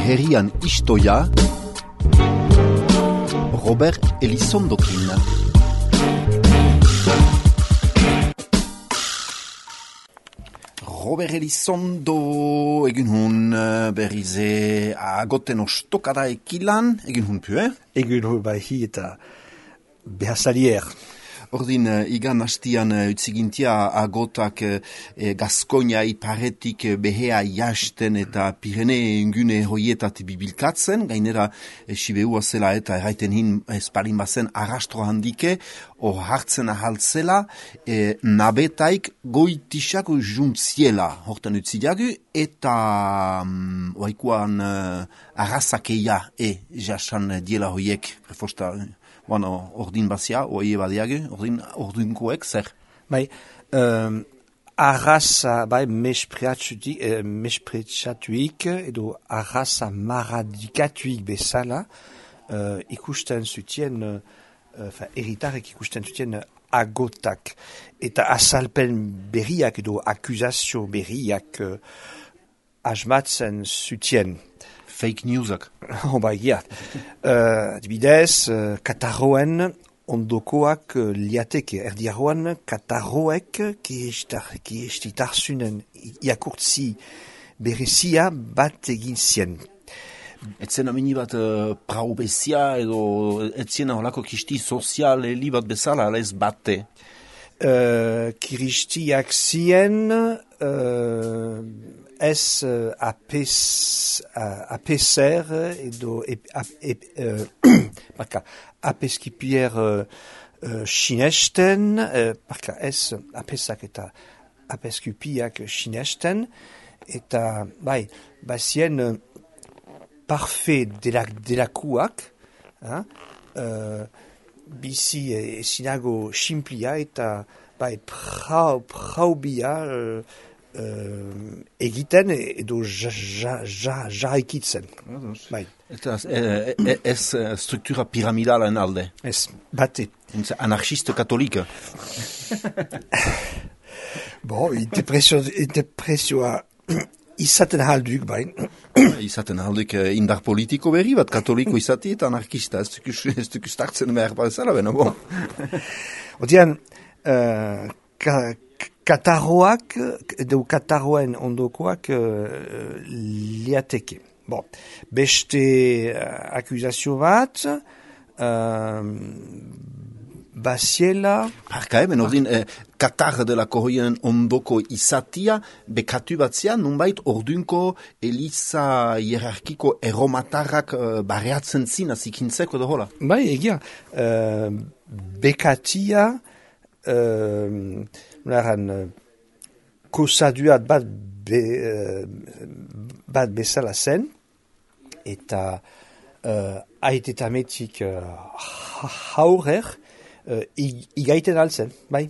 herrian istoia, Robert Elizondokin. Robert Elizondo egin hun berrize agoten ostokada ekilan, egin hun pue? Egin hun bai hi eta behazalier. Ordin, igan hastian utzigintia agotak Gaskonia iparetik behea jasten eta Pirene ingune hoietat bibilkatzen, gainera Sibeua zela eta erraiten hin espalin bazen arrastro handike, hor hartzen ahaltzela, nabetaik goitisako juntziela hortan utzidiagu, eta oaikuan arrazakeia jasan diela hoiek, prefosta. Bueno, ordin bazia, oie badiage, ordinkoek, zer? Bai, arraza, bai, mespretsatuik, edo arraza maradikatuik bezala, ikusten zutien, eritarek ikusten zutien agotak, eta azalpen berriak edo akuzazio berriak asmatzen zutien. Fake newsak. Bai, ja. Adibidez, Katarroen ondokoak liateke. Erdiaroan, Katarroek kiestitarzunen iakurtzi berezia bat egin zien. Etzen amini bat praubezia edo etzen aholako kisti sozial li bat bezala, ala ez bate? Kiristiak zien ez apeser edo apeskipier sinesten, ez apesak eta apeskipiak sinesten, eta bai, bazien parfait delakuak, bizi ezinago simplia eta bai praubia egiten edo jarraikitzen. Bai. Eta ez struktura piramidalen alde? Ez, bate. Anarchiste katolika? Interpresioa izaten halduk, bain. Izaten halduk indar politiko berri bat, katoliko izati eta anarkista. Ez duk startzen behar bat ezala, bena, bon. Odean, Katarroak, edo Katarroen ondokoak liateke. Bon, beste akuzazio bat, baziela... Parka eben, ordin, Katar delako hoien ondoko izatia, bekatu batzia, nunbait ordunko eliza hierarkiko erromatarrak barreatzen zina zikintzeko edo hola? Bai, egia, bekatia... kosaduat bat bezala zen, eta aitetametik haurer igaiten altzen, bai.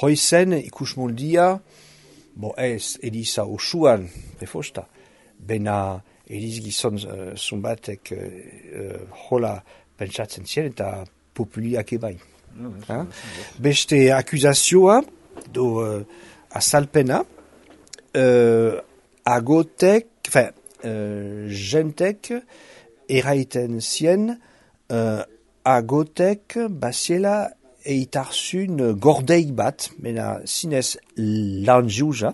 Hoizen ikusmoldia, ez Eliza osuan, prefosta, bena Eliz gizon zumbatek hola pentsatzen zien eta populiak ebai. Beste akuzazioa do azalpena agotek, jentek eraiten zien agotek baziela eitarzun gordeik bat, mena zinez lanjuja,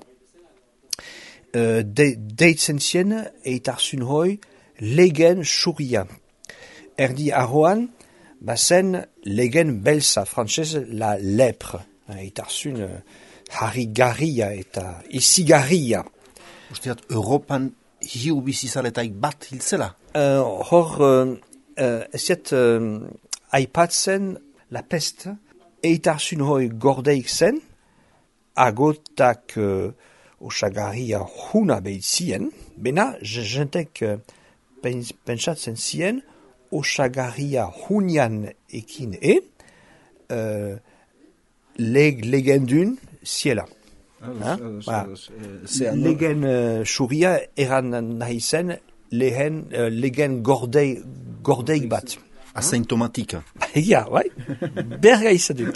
deitzen zien eitarzun hoi legen suria. Erdi arroan bazen legen belza, frantzez la lepre. Eitarzun harrigarria eta izigarria. Usteat, Europan hiu bizizaletaik bat hiltzela? Eziet aipatzen la peste, eitarzun hoi gordeik zen, agotak osagarria huna behitzien, bena jentek pentsatzen zien, osagarria hunian ekin legendun ziela. Legen suria eran nahi zen legen gordeik bat. Asymptomatika. Ja, bai. Berga izaduk.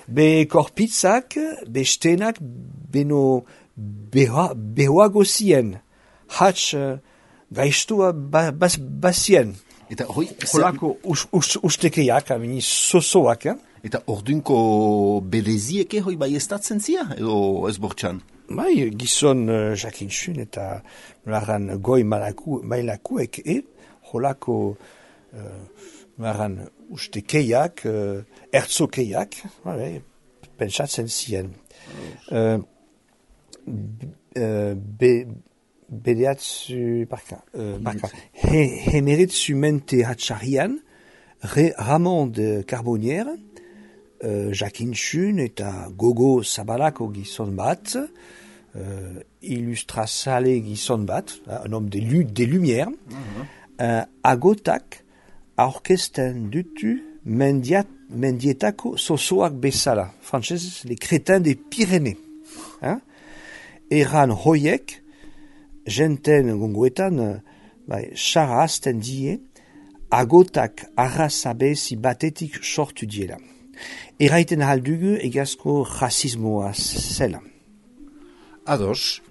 Be korpitzak, be stenak, beno behoago zien. hatz gaiztua bazien. Eta hoi, Holako ustekeiak, amini sosoak, eta ordunko berezieke hoi bai estatzen zia, edo ez bortxan? Bai, gizon jakintxun eta nolarran goi mailakuek holako nolarran ustekeiak, ertzokeiak, pentsatzen zien. Hemeretzu mente hatxarian, Ramond Carbonier, jakintxun eta gogo zabalako gizon bat, illustrazale gizon bat, un homme des lumières, agotak aurkezten dutu mendietako sosoak bezala, frantzez, les crétins des Pyrénées. Eran hoiek, jenten gongoetan, xarra azten die, agotak arrazabezi batetik sortu diela. Eraiten haldugu egazko rasismoa zela. Ados,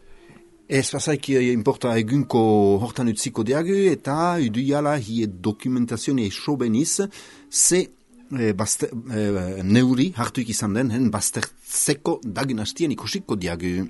ez pasaiki importa egunko hortan utziko diagu eta uduiala hie dokumentazione sobeniz ze neuri hartuik izan den, baztertzeko dagen hastien ikusiko diagu.